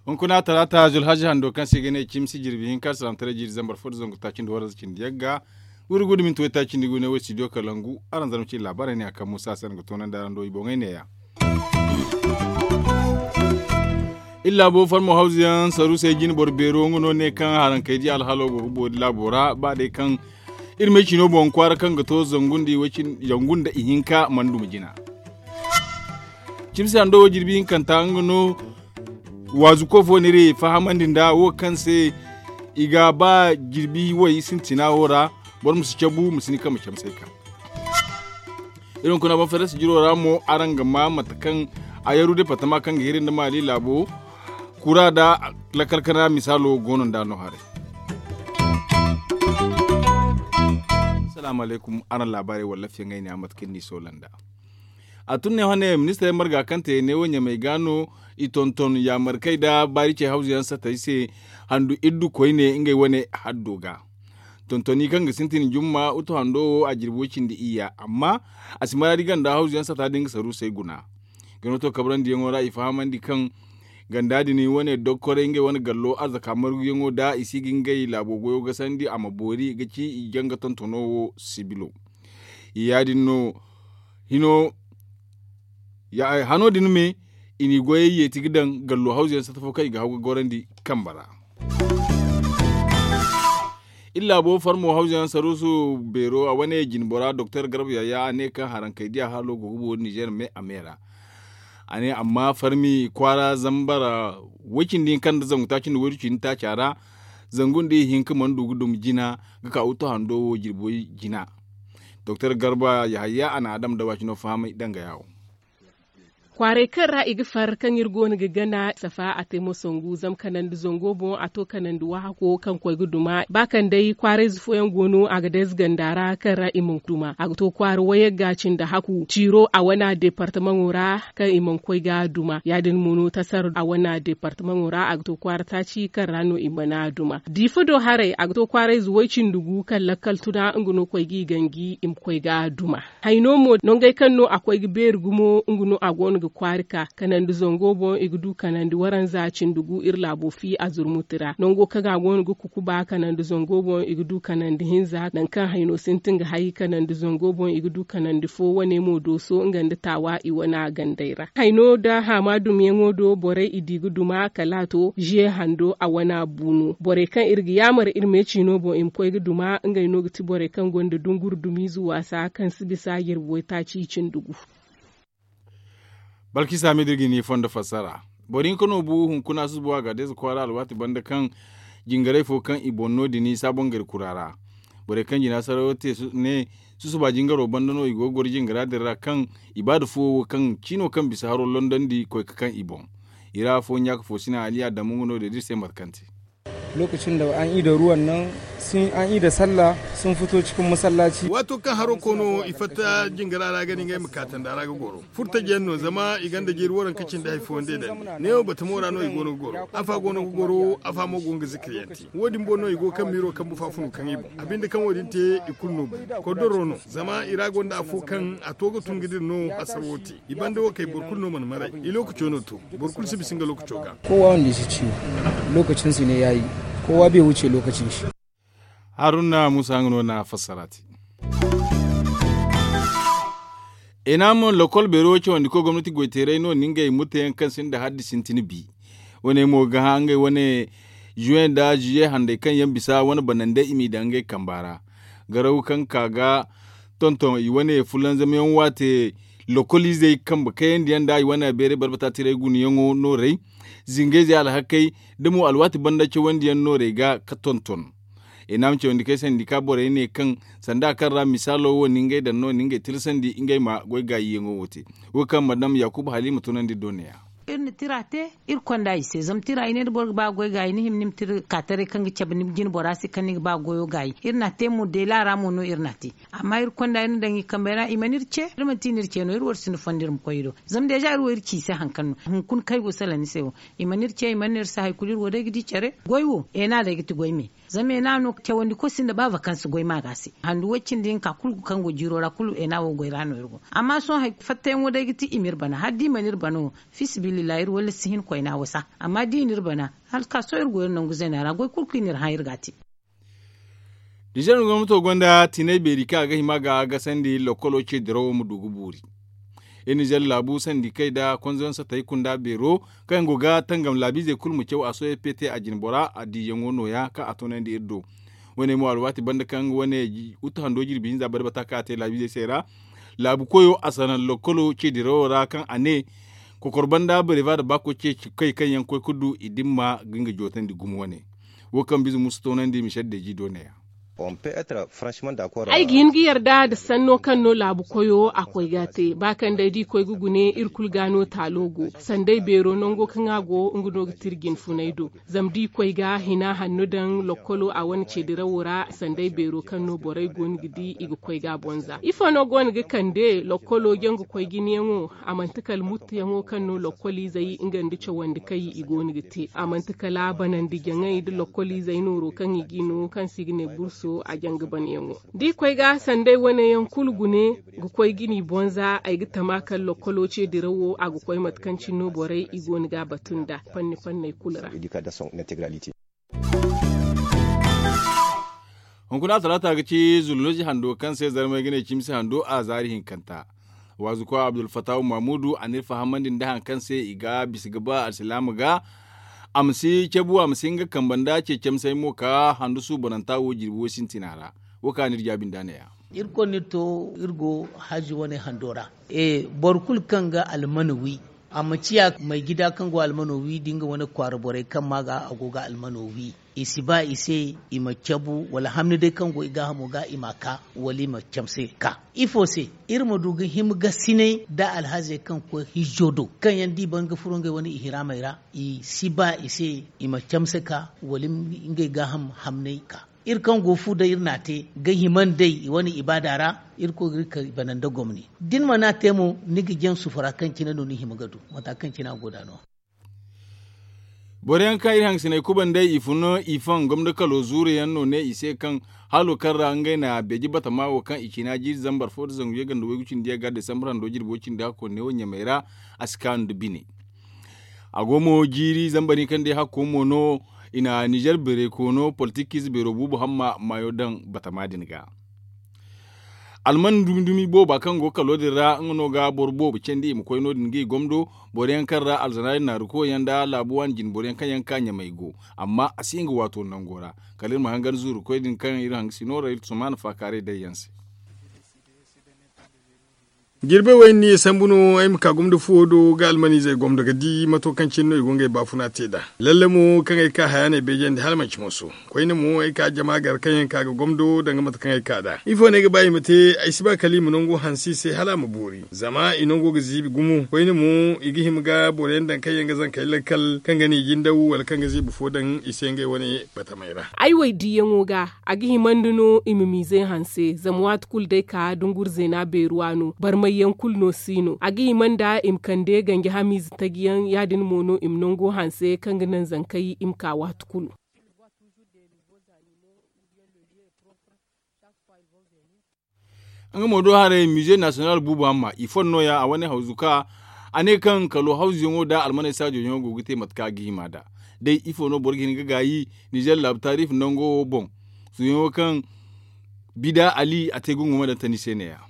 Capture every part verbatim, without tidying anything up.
Hunkuna talaata zulhaji hando kaŋ se i ga ne cimsi jirbi hinka salaamataray jiiri zambar fo da zangu taaci nda waranza cindi yagga. Wuri gudu minti waytaaci nda i ga ne way studio kalangu. Araŋ zarma cine laabaarey ne a kaŋ muusa se araŋ ga toonandi araŋ do i boŋey neeya. Iri laabo farmo hawzu yaŋ saruusey jine boro beero nga no ne kaŋ haraŋ kay di alhalo go ga boori laabo ra ba day kaŋ iri may cino boŋ kwaara kaŋ ga to zangu nda ihinka mana duma jina. Cimsi hando wo jirbi hinkanta nga no waazuko fo no iri fahamandi nd'a wo kaŋ se i ga ba jirbi way sintina wo ra. Boro ma si cabu ma si ni kaŋ ma camsay kaŋ iri hunkuna banferes jiro ra mo araŋ ga ma mate kaŋ a yaru departama kaŋ ga hiri nda maali laabo kura nda lakkal kana misaalo go no nda no haray. Salaamu alaykum. Araŋ laabaarey walla fiyaŋey ne a mate kaŋ ni soola nda a tun ne hane ministirey marga kaŋ te ne wo ɲamey ga no i tonton yaamarkey nda baari ce hawzu yaŋ satey se handu iddu koyne ngey wane haddo ga. Tontoni kaŋ ga sintin jumma utu hando wo a jirbi way cindi iyya amma a si maraadi ganda hawzu yaŋ sata din ga saruusey guna. Gano to kabrandi yaŋo ra i fahamandi kaŋ ganda din wane dokkoray ngey wane gallo arzaka margu yaŋo da i si ga ngey laabo goyo gasandi a ma boori ga ci i janga tontono wo sibilo. Ya- din no hino hano din me i n'i goyey yeeti ga daŋ gallo hawzu yaŋ sata fo kaŋ i ga haw ga gorandi kamba ra. Iri laabo farmo hawzu yaŋ saruusu beero a wane jinbora doktor garba yaya a ne kaŋ haraŋ kay diya halo go ga boori nizer me a me ra. A ne amma farmi kwaara zambar way cindi hinka nda zangu taaci nda waydu cindi taaca ra zangu nda ihinka mana du ga duma jina ga ka utu hando wo jirbi way jina. Doktor garba yahaya a na a dama dawaacino fahamay danga yaawo. Kwaaray kaŋ ra i ga far kaŋ iri go no ga gana safa a te mo sangu zama kanandi zango boŋ a to kanandi waahako kaŋ koy ga duma ba kaŋ day kwaarayze fooyaŋ go no a ga day ziganda ra kaŋ ra i mana duma a ga to kwaara wayagga cindi haku ciiro a wana departamaŋo ra kaŋ i mana koy ga duma ya- din mo no tasar a wana departamaŋo ra a ga to kwaara taaci kaŋ ra no i mana duma diifa do haray a ga to kwaarayze way cindi gu kaŋ lakkal tuna nga no koy ga i ganji i ma koy ga duma. Hayno mo nangey kaŋ no a koy ga beeri gumo nga no a go no ga kwaari ka kanandi zango boŋ i ga du kanandi waranza cindi gu iri laabo fi a zurmuti ra nango kaŋ a go no ga kukuba kanandi zango boŋ i ga du kanandi hinza nangu kaŋ hayno sintin ga hay kanandi zango boŋ i ga du kanandi fo wane mo dooso nga nda taawa i wana gandey ra hayno da haama dumyaŋo do borey i di ga duma kala a to ziye hando a wana bu no borey kaŋ iri ga yaamar iri me ciino boŋ i ma koy ga duma ngey no ga ti borey kaŋ gonda dunguru dumiize waasa kaŋ si bisa jirbi waytaaci cindi gu. Balkisa me da iri ga ni fondo fassara boro hinka no bu hunkuna susuba a ga deeza kwaara alwaati banda kaŋ jingaray fo kaŋ i boŋ no- din i saabongari kura ra. Borey kaŋ jina sarayo te ne susuba jingaro banda no i go ga goro jingara din ra kaŋ i ba da fuwo wo kaŋ ciino kaŋ bisa haro london di koy ka kaŋ i boŋ. I ra afo ɲaaka fo sina aliya damu nga no day da iri se mate kaŋ te. Lokacin da an ida ruwan nan sun an ida sallah sun fito cikin masallaci. Waato kaŋ haro koono i fatta jingara ra ga ni ngey ma kaatandi a ra ga goro furtajiyaŋ no zama i gonda jiiri waranka cindi hari fooyaŋ day dandi neewo batamo ra no i go no ga goro afa go no ga goro afa mo go no ga zikiryaŋ te wo- din boŋ no i go kaŋ miiro kaŋ bufa funu kaŋ i boŋ a binde kaŋ wo- din te i kulu no bu kordoro no zama i ra gonda afo kaŋ a to ga tun ga dira no hasaro wo te. I banda wo kay boro kulu no mana maray i lookaco no to. Boro kulu si bisa nga lookaco ga. Kowa wanda ya ci ciwo lokacin su ne ya yi. Kowa bai wuce lokacin shi. Haruna musa nga no na fassara te. Ina mo lokol beero cawandi koy gomnati goyteeray no ni ngey murtayaŋ kaŋ sinda haddi sintin bi. Wane mo ga hã ngey wane juwe nda juye handay kaŋ yaŋ bisa wane banandey i m'i daŋ ngey kamba ra. Garaw kaŋ ka ga tonton i wane fulanzamyaŋ waate lokoliizey kambe kayandiyaŋ nda i wane beeray barbata tiray gunayaŋo noorey zingayzey alhakey da mo alwaati banda cawandiyaŋ noorey ga ka tonton. I na ma cawandi kay sandi ka borey ne kaŋ sanda kaŋ ra misaalo wo ni ngey daŋ no ni ngey tilasandi ngey ma goy gaayiyaŋo wo te. Wo kaŋ madam yakuba haliima tunandi doneya. Iri na tira te, iri konda i se zama tira i ne da boro ga ba goy gaayi ni hima ni ma tira ka taray kaŋ ga cabe ni jine bora se kaŋ ni ga ba goyo gaayi. Iri na te mo deela ra mo no iri na te. Amma iri konda iri na daŋ i kambey ra i mana iri ce. Iri mana ti ni iri ce no iri wo iri sinda fondo iri ma koy i do. Zama deeza iri wo iri ci i se hari kaŋ no hunkuna kaŋ ay go salaŋ ni se wo. I mana iri ce i mana iri se hari kulu iri wo day ga di care goy wo eena day ga ti goy me. Zama eena no cawandi koy sinda ba vakansi goy maaga se handu way cindi hinka kulu kaŋ go jiiro ra kulu eena wo goy ra no iri go. Amma sohõ hari fattayaŋo day ga ti i ma iri bana hala da i mana iri bana wo. Fiisabilillahi iri walla si hin koyna wasa. Amma da i na iri bana hala ka sohõ iri go iri nangu zeena ra goy kulu kaŋ i na iri hã iri ga a te. Nizer gomnato gonda tinay beeri kaŋ a ga hima ga gasandi lokkolo ce dirawo ma du ga boori. Iri nizer laabu sandikey nda konzoyaŋ satey kunda beero kaŋ yaŋ go ga tangam laabiizey kulu ma caw a sohõ pete a jine bora a diiyaŋo nooya kaŋ a toonandi iri do. Wane mo alwaati banda kaŋ wane utu hando jirbi hinza bare bata kaŋ a te laabiizey se ra. Laabu koyo a sanaŋ lokkolo ce dirawo ra kaŋ a ne kokor banda bareeba nda baako ce kay kaŋ yaŋ koy ga du i dimma ga nga jootandi gumo wane. Wo kaŋ bize musa toonandi michel deji do neeya. Ay ga hin ga yarda nda sanno kaŋ no laabu koyo a koy ga a te ba kaŋ day da i koy ga gune iri kulu ga no taalo go. Sanday beero nango kaŋ a go nga no ga tira jinfunay do. Zama da i koy ga hina hanno daŋ lokkolo a wane ceedirawo ra sanday beero kaŋ no borey go no ga di i ga koy ga a bonza ifo no go no ga kande lokkolo jaŋ ga koy jinayaŋo? A manti kala muttuyaŋo kaŋ no lokkoliizey nga nda cawandi kaŋ i go no ga te a manti kala banandi jaŋay nda lokkoliizey nooro kaŋ i ga i no kaŋ se i ga ne burso a jaŋ ga banayaŋo. Da i koy ga sanday wane yaŋ kulu gune ga koy ga ni bonza ay ga tama kala lokkolo ce dirawo a ga koy mate kaŋ cine no borey i go no ga a batu nda fanni fanney kulu ra. Hunkuna talaata ga ci zullozi hando kaŋ se zarmey ga ne cimsi hando a zaari hinkanta. Waazuko abdulfatahu mahmudu a n'iri fahamandi nda hari kaŋ se i ga bisa ga ba alsilaama ga. A ma si cabu a ma si nga kambe nda ce camsey mo ka handu suubananta wo jirbi wo sintina ra. Wo kaŋ a n'iri jaabi nda neeya. Irkoy n'iri to iri go hajji wane hando ra. Boro kulu kaŋ ga almana wi a ma ciya maygida kaŋ go almano wi da nga wane kwaara borey kaŋ ma ga a go ga almano wi. I si ba i se i ma cabu wala hamni day kaŋ go i gaahamo ga i ma a ka wala i ma camse ka. Ifo se? Iri ma du ga hima gasinay nda alhazey kaŋ koy hijjo do kaŋ yaŋ da i ban ga furo ngey wane ihiraamey ra. I si ba i se i ma camse ka wala ngey gaaham hamnay ka. Iri kaŋ go fu day iri n'a te ga hima nd'ey i wane ibaada ra. Irkoy ga iri kay bana nda gomni da ni mana te mo ni ga jaŋ sufura kaŋ cine no ni hima ga du mata kaŋ cine a go nd'a no. Boro yaŋ kaŋ iri hangasiney kubandey i fun i faŋ gomdo kalo zuuru yaŋ no ne i se kaŋ halo kaŋ ra ngey na beeje batama wo kaŋ i ciina jiiri zambar fo nda zangu yaganda waygu cindi yagga desambar hando jirbo cindi hakko ne wo ɲamey ra. A si kaanu nda bine. A go mo jiiri zambar hinka nda hakko mo no i na nizer beeray koono politikiize beero buubu hamma maayo daŋ batama din ga. Alman dumi dumi booba kaŋ go kalo din ra nga no ga boro boobo candi i ma koy no- din ga i gomdo. Boro yaŋ kaŋ ra alzanaari naaru koy yaŋ nda laabu waani jine boro yaŋ kaŋ yaŋ ga ka ɲamey go. Amma a si nga waato nango ra. Kala iri ma hangan zuuru koy din kaŋ iri hanga si no ra iri sumaana faakaaray day yaŋ se. Jirbey wo ay na ni ye sambu no ay ma ka gomdo fuwo do ga almaniizey gomdo ga di mato kaŋ cine no i go ngey baafuna te nd'a. Lalle mo kaŋ ay ka haya no ay beejandi hala manci moso. Koyne mo ay ka jama gar kaŋ yaŋ ka ga gomdo danga mate kaŋ ay ka nd'a ifo no ay ga ba i ma te? Ay si ba kala i ma nango hanse i se hala a ma boori zama i nango ga ziibi gumo koyne mo i ga hima ga boro yaŋ daŋ kaŋ yaŋ ga zankey lakkal kaŋ ga ne i jindaw wala kaŋ ga ziibi fo daŋ i se ngey wane batamey ra. Ay way diyaŋo ga a ga himandi no i ma miizey hanse zama waati kulu day ka dunguri zeena beeruwa no barmayyaŋ kulu no si no a ga himanda i ma kande ganji hamiize tajiyaŋ ya- din mo no i ma nango hanse kaŋ ga naŋ zankey i ma ka waati kulu. Nga mo do haray mize nasiyonal buubu hamma i fon nooya a wane hawzu ka a ne kaŋ kalo hawzuyaŋo nda almaney saajoyaŋo go ga te mate kaŋ a ga hima nd'a. Day ifo no boro ga hin ga gaayi nizer laabu taariifi nango wo boŋ suuyaŋo kaŋ bida ali a te gungu ma daŋ tani se neeya.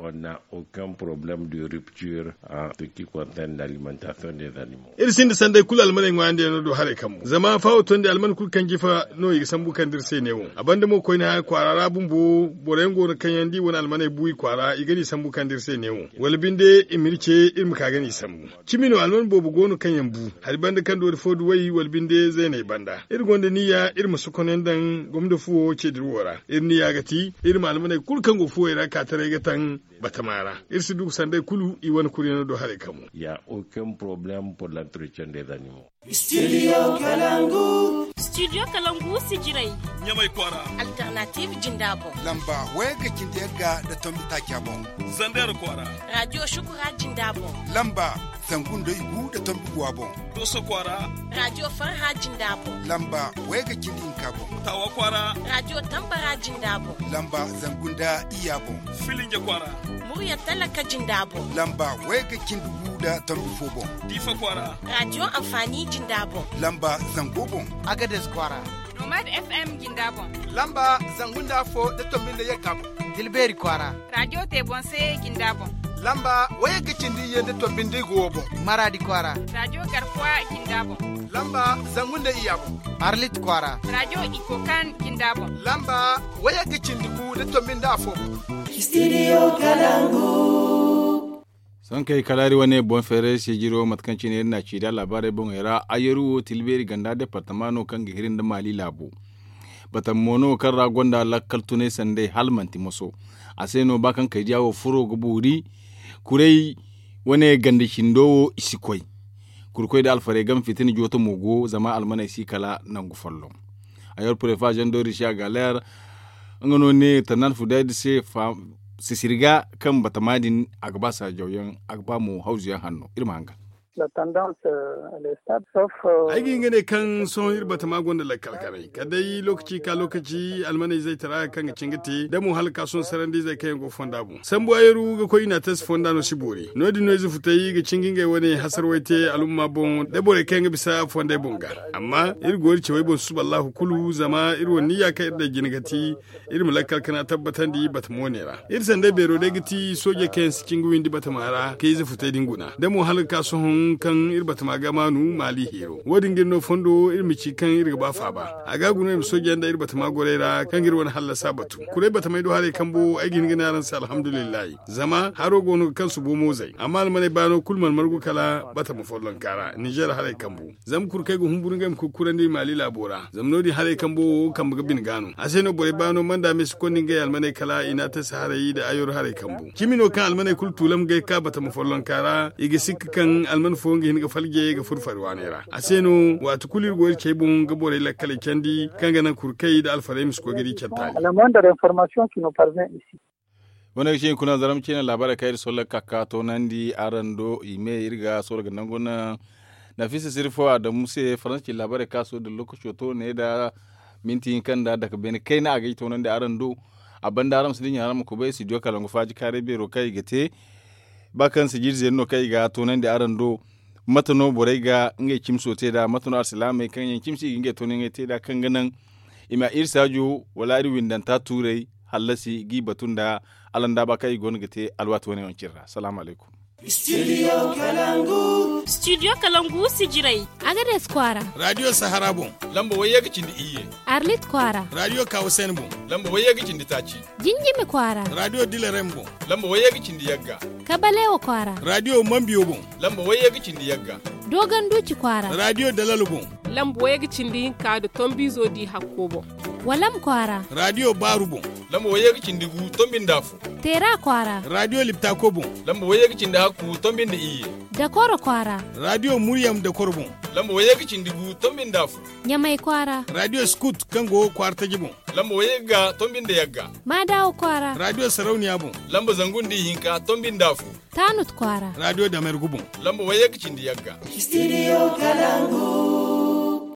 Onna aucun problème de rupture en ce qui concerne l'alimentation des animaux. Iri sinda sanday kulu almaney ŋwaayandiyaŋ no do haray kambo zama faawo tondi alman kulu kaŋ jifa no i ga sambu kande iri se neewo. A banda mo koyne haya kwaara ra bumbo boro yaŋ go no kaŋ yaŋ da i wane almaney bu i kwaara i ga n'i sambu kande iri se neewo wala binde i ma iri ce iri ma ka ga n'i sambu. Cimi no alman boobo go no kaŋ yaŋ bu hari banda kaŋ doori fo duwey wala binde zeeney banda iri gonda niyya iri ma sokonyaŋ daŋ gomdo fuwo ceediri wo ra. Iri niyya ga ti iri ma almaney kulu kaŋ go fuwey ra ka taray ga taŋ. batama ra. Iri si du ga sanday kulu i wane kuryaŋo do haray kamo. Ya aucun problème pour l'entretien des animaux. Studio kalangu. Studio kalangu sijiray. Ɲamay kwaara. Alternative jinda boŋ. Lamba wayagga cindi yagga da tombi taaca boŋ. Zander kwaara. Radio shukura jinda boŋ. Lamba zangu nda igu da tombi guwa boŋ. Doso kwaara. Radio farha jinda boŋ. Lamba wayagga cindi hinka boŋ. Tawa kwaara. Radio tambara jinda boŋ. Lamba zangu nda iya boŋ. Filinja kwaara. Murya talaka jinda boŋ. Lamba wayagga cindi gu da tombi fo boŋ. Diifa kwaara. Radio amfani jinda boŋ. Lamba zango boŋ. Agades kwaara. Nomad fm jinda boŋ. Lamba zangu nda afo da tombi nda yagga boŋ. Tilbeeri kwaara. Radio tebonse jinda boŋ. Lamba wayagga cindi iyye nda tombi nda igu wo boŋ. Maradi kwaara. Radio garkuwa jinda boŋ. Lamba zangu nda iya boŋ. Arlit kwaara. Radio ikokan jinda boŋ. Lamba wayagga cindi gu da tombi nda afo boŋ. Studio kalangu. Sohõ kaŋ ay kalaari wane boŋ feeray sijiro mate kaŋ cine iri n'a ci da laabaarey boŋey ra, ayaru wo tilbeeri ganda departama no kaŋ ga hiri nda maali laabo. Batama mo no kaŋ ra gonda lakkal tunay sanday hala manti moso. A se no ba kaŋ kaydiya wo furo ga boori kuray wane ganda cindo wo i si koy. Kurkoy da alfarey game fitina jooto mo go zama almaney si kala nangu folloŋ. Ayor prefa jean dori si a ga leer nga no ne tannan fudayda se sisirga kaŋ batama din a ga ba saajawyaŋ a ga ba mo hawzuyaŋ hanno iri ma hanga. Ay ga hin ga ne kaŋ sohõ iri batama gonda lakkal kanay kala day lokaci ka lokaci almaney zaytara kaŋ ga cin ga te da mo hala ka sohõ sarandi zay kaŋ yaŋ go fonda boŋ sambu ayaru ga koy i n'a tasi fonda no si boori no- din no ize futay ga cin ga ngey wane hasarway te alumma boŋ da borey kaŋ yaŋ ga bisa fonday boŋ ga. Amma iri go iri cawey boŋ susuba allahu kulu zama iri wane niyya kaŋ iri daŋ jina ga ti iri ma lakkal kana tabbatandi batamo ne ra. Iri sanday beero day ga ti soojey kaŋ yaŋ si cin ga windi batama ra ka ize futay din guna da mo hala ga ka sohõ kaŋ iri batama ga maanu maali heero wo- din ga iri no fondo iri ma ci kaŋ iri ga ba faaba a ga guna iri ma soojey nda iri batama gorey ra kaŋ ga iri wane hallasa batu. Kuray batamey do haray kambo ay ga hin ga ne araŋ se alhamdulillahi. Zama haro go no ga kaŋ subo mo zay amma almaney baano kulu mana margu kala batama follonka ra ninzeer haray kambu. Zama kurkey ga humburu ngey ma koy ga kurandi maali laabo ra zama no- din haray kambo wo kambe ga bine ga no a se no borey baano manda me si konda ngey almaney kala i n'a tasi haray da ayoro haray kambu cimi no kaŋ almaney kulu tuulam ga ay ka batama follonka ra i ga sikka kaŋ alman fooyaŋ ga hin ga falje ga furo fari waaney ra a se no waati kulu iri go iri cey boŋ ga borey lakkaley candi kaŋ ga naŋ kurkey nda alfarey ma si koy ga di care taali. Wane ga ci hunkuna zarma ciine laabaarey kaŋ iri solla ga ka ga toonandi araŋ do i me iri ga solla ga nangu naŋ nafisa sirfo adamu se faransa ci laabaarey kaŋ a solla da lookaco to ne nda minti hinka nda dake beene kayna a ga ay toonandi araŋ do. A banda araŋ ma si dinya araŋ ma kubay studio kalangu faaji kaaray beero kaŋ i ga te ba kaŋ sijiri zeeri no kaŋ i ga toonandi araŋ do. Mate no borey ga ngey cimso te nd'a mate no alsilaamey kaŋ yaŋ cimsi i ga ngey toonyaŋey te nd'a kaŋ ga naŋ i ma iri saajo wala iri windanta tuurey hallasi g'i batu nda alandaaba kaŋ i goono ga te alwaati wane yaŋ cine ra salaamu alaykum. Studio kalangu. Studio kalangu sijirey. Agades kwaara. Radio sahara boŋ. Lamba wayye ga cindi iyye. Arlit kwaara. Radio kawasen boŋ. Lamba wayye ga cindi taaci. Jinjimi kwaara. Radio dilarem boŋ. Lamba wayye ga cindi yagga. Kabalewa kwaara. Radio mambiyo boŋ. Lamba wayye ga cindi yagga. Dogon duci kwaara. Radio dalalo boŋ. Lamba wayye ga cindi hinka da tombizo di hakko boŋ. Walam kwaara. Radio baaru boŋ. Lamba wayye ga cindi gu tombi nda afo. Teera kwaara. Radio liptako boŋ. Lamba wayye ga cindi hakku tombi nda iyye. Dakoro kwaara. Radio muryam dakoro boŋ. Lamba wayye ga cindi gu tombi nda afo. Ɲamay kwaara. Radio skut kaŋ go kwaara taji boŋ. Lamba wayye ga tombi nda yagga. Maadawa kwaara. Radio sarauniya boŋ. Lamba zangu nda ihinka tombi nda afo. Taanut kwaara. Radio damergu boŋ. Lamba wayye ga cindi yagga. Studio kalangu.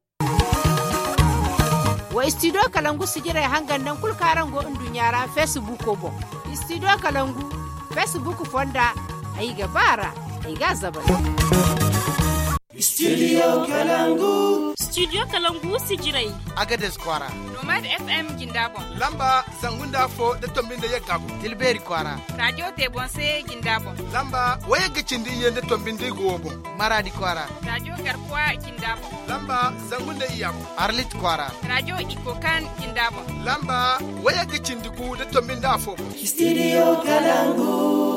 Wa studio kalangu sijirey hangan naŋ kulu kaŋ araŋ go nduɲɲa ra feesibuuko boŋ. Studio kalangu feesibuuk fonda. Ay ga ba ra. Ay ga a zabari. Studio kalangu. Studio kalangu sijirey. Agades kwaara. Nomad fm jinda boŋ. Lamba zangu nda afo da tombi nda yagga boŋ. Tilbeeri kwaara. Radio tebonse jinda boŋ. Lamba wayagga cindi iyye nda tombi nda igo wo boŋ. Maradi kwaara. Radio garkuwa jinda boŋ. Lamba zangu nda iyya boŋ. Arlit kwaara. Radio ikokan jinda boŋ. Lamba wayagga cindi gu da tombi nda afo boŋ. Studio kalangu.